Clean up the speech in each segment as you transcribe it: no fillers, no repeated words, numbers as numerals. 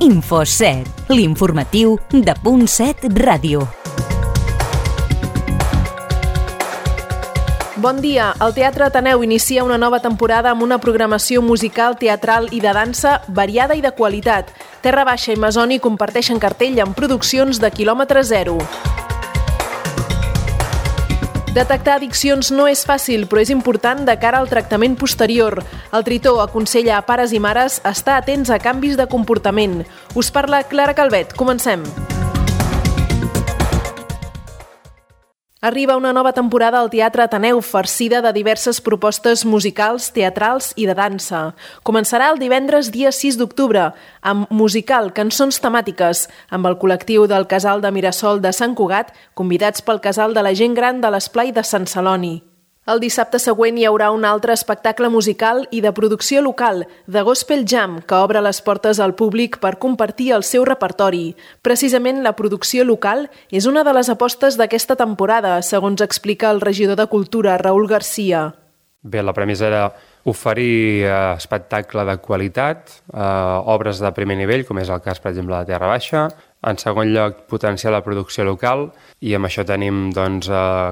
Info7, l'informatiu de .7 Ràdio. Bon dia. El Teatre Ateneu inicia una nova temporada amb una programació musical, teatral i de dansa variada i de qualitat. Terra Baixa i Masoni comparteixen cartell amb produccions de quilòmetre zero. Detectar addiccions no és fàcil, però és important de cara al tractament posterior. El Tritó aconsella a pares i mares estar atents a canvis de comportament. Us parla Clara Calvet. Comencem. Arriba una nova temporada al Teatre Ateneu, farcida de diverses propostes musicals, teatrals i de dansa. Començarà el divendres dia 6 d'octubre, amb musical Cançons temàtiques, amb el col·lectiu del Casal de Mirasol de Sant Cugat, convidats pel Casal de la Gent Gran de l'Esplai de Sant Celoni. El dissabte següent hi haurà un altre espectacle musical i de producció local, The Gospel Jam, que obre les portes al públic per compartir el seu repertori. Precisament la producció local és una de les apostes d'aquesta temporada, segons explica el regidor de Cultura, Raül Garcia. Bé, la premissa era oferir espectacle de qualitat, obres de primer nivell, com és el cas, per exemple, de Terra Baixa. En segon lloc, potenciar la producció local, i amb això tenim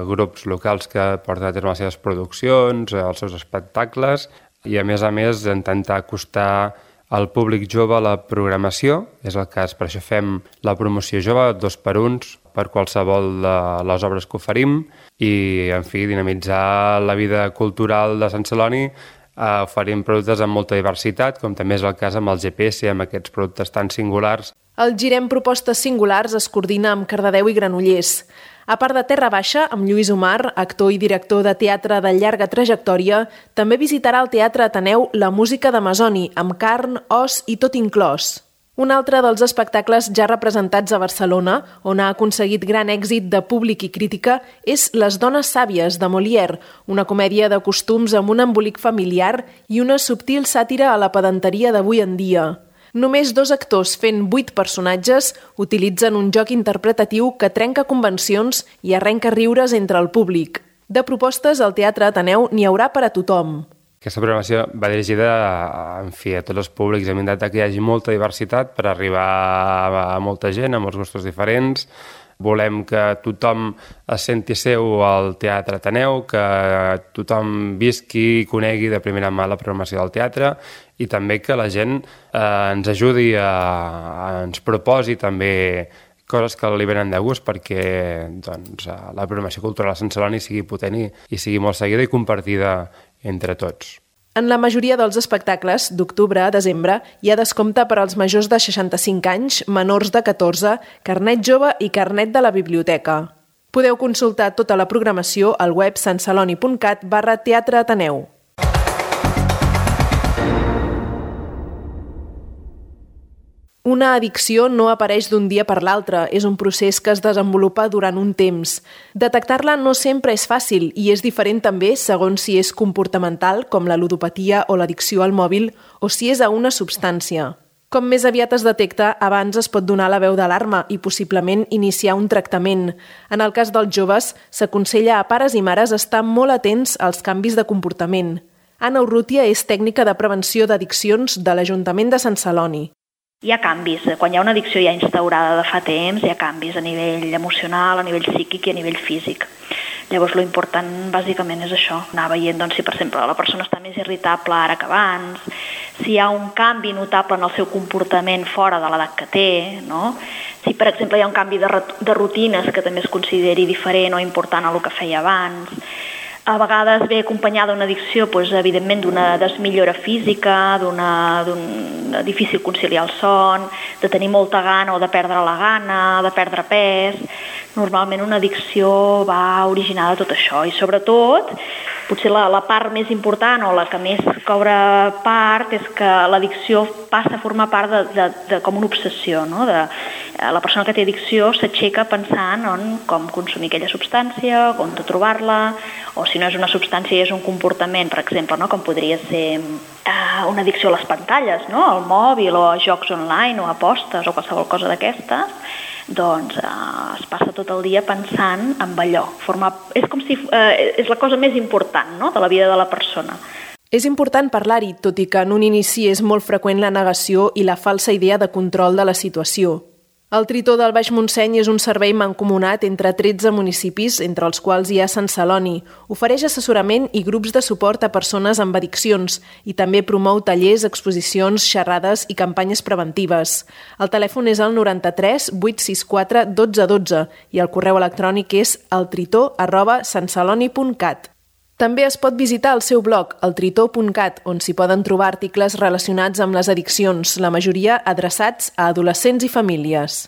grups locals que porten a terme les seves produccions, els seus espectacles, i a més, intentar acostar al públic jove la programació. És el cas, per això fem la promoció jove, 2 per 1, per qualsevol de les obres que oferim, i, en fi, dinamitzar la vida cultural de Sant Celoni, oferim productes amb molta diversitat, com també és el cas amb el GPS, amb aquests productes tan singulars. El Girem Propostes Singulars es coordina amb Cardedeu i Granollers. A part de Terra Baixa, amb Lluís Omar, actor i director de teatre de llarga trajectòria, també visitarà al Teatre Ateneu la música de Masoni, amb carn, os i tot inclòs. Un altre dels espectacles ja representats a Barcelona, on ha aconseguit gran èxit de públic i crítica, és Les dones sàvies, de Molière, una comèdia de costums amb un embolic familiar i una subtil sàtira a la pedanteria d'avui en dia. Només 2 actors fent 8 personatges utilitzen un joc interpretatiu que trenca convencions i arrenca riures entre el públic. De propostes, al Teatre Ateneu n'hi haurà per a tothom. Aquesta programació va dirigida a tots els públics. Hem intentat que hi hagi molta diversitat per arribar a molta gent, a molts gustos diferents. Volem que tothom es senti seu al Teatre Ateneu, que tothom visqui i conegui de primera mà la programació del teatre, i també que la gent ens ajudi, ens proposi també coses que li venen de gust perquè la programació cultural a Sant Celoni sigui potent i sigui molt seguida i compartida entre tots. En la majoria dels espectacles, d'octubre a desembre, hi ha descompte per als majors de 65 anys, menors de 14, carnet jove i carnet de la biblioteca. Podeu consultar tota la programació al web santceloni.cat/Teatre Ateneu. Una addicció no apareix d'un dia per l'altre, és un procés que es desenvolupa durant un temps. Detectar-la no sempre és fàcil i és diferent també segons si és comportamental, com la ludopatia o l'addicció al mòbil, o si és a una substància. Com més aviat es detecta, abans es pot donar la veu d'alarma i possiblement iniciar un tractament. En el cas dels joves, s'aconsella a pares i mares estar molt atents als canvis de comportament. Anna Urrutia és tècnica de prevenció d'addiccions de l'Ajuntament de Sant Celoni. Hi ha canvis. Quan hi ha una addicció ja instaurada de fa temps, hi ha canvis a nivell emocional, a nivell psíquic i a nivell físic. Llavors, l'important bàsicament és això, anar veient si, per exemple, la persona està més irritable ara que abans, si hi ha un canvi notable en el seu comportament fora de l'edat que té, no? Si, per exemple, hi ha un canvi de rutines que també es consideri diferent o important a el que feia abans. A vegades ve acompanyada d'una addicció, evidentment, d'una desmillora física, d'un difícil conciliar el son, de tenir molta gana o de perdre la gana, de perdre pes. Normalment una addicció va originada de tot això i sobretot, potser la part més important o la que més cobra part és que l'addicció passa a formar part de com una obsessió, no? La persona que té addicció s'aixeca pensant en com consumir aquella substància, on trobar-la, o si no és una substància i és un comportament, per exemple, no? Com podria ser una addicció a les pantalles, no? Al mòbil o a jocs online o a apostes o qualsevol cosa d'aquestes, doncs es passa tot el dia pensant en allò. És com si és la cosa més important, no? De la vida de la persona. És important parlar-hi, tot i que en un inici és molt freqüent la negació i la falsa idea de control de la situació. El Tritó del Baix Montseny és un servei mancomunat entre 13 municipis, entre els quals hi ha Sant Celoni. Ofereix assessorament i grups de suport a persones amb addiccions i també promou tallers, exposicions, xerrades i campanyes preventives. El telèfon és el 93 864 12 12 i el correu electrònic és eltritó@santceloni.cat. També es pot visitar el seu blog, eltritó.cat, on s'hi poden trobar articles relacionats amb les addiccions, la majoria adreçats a adolescents i famílies.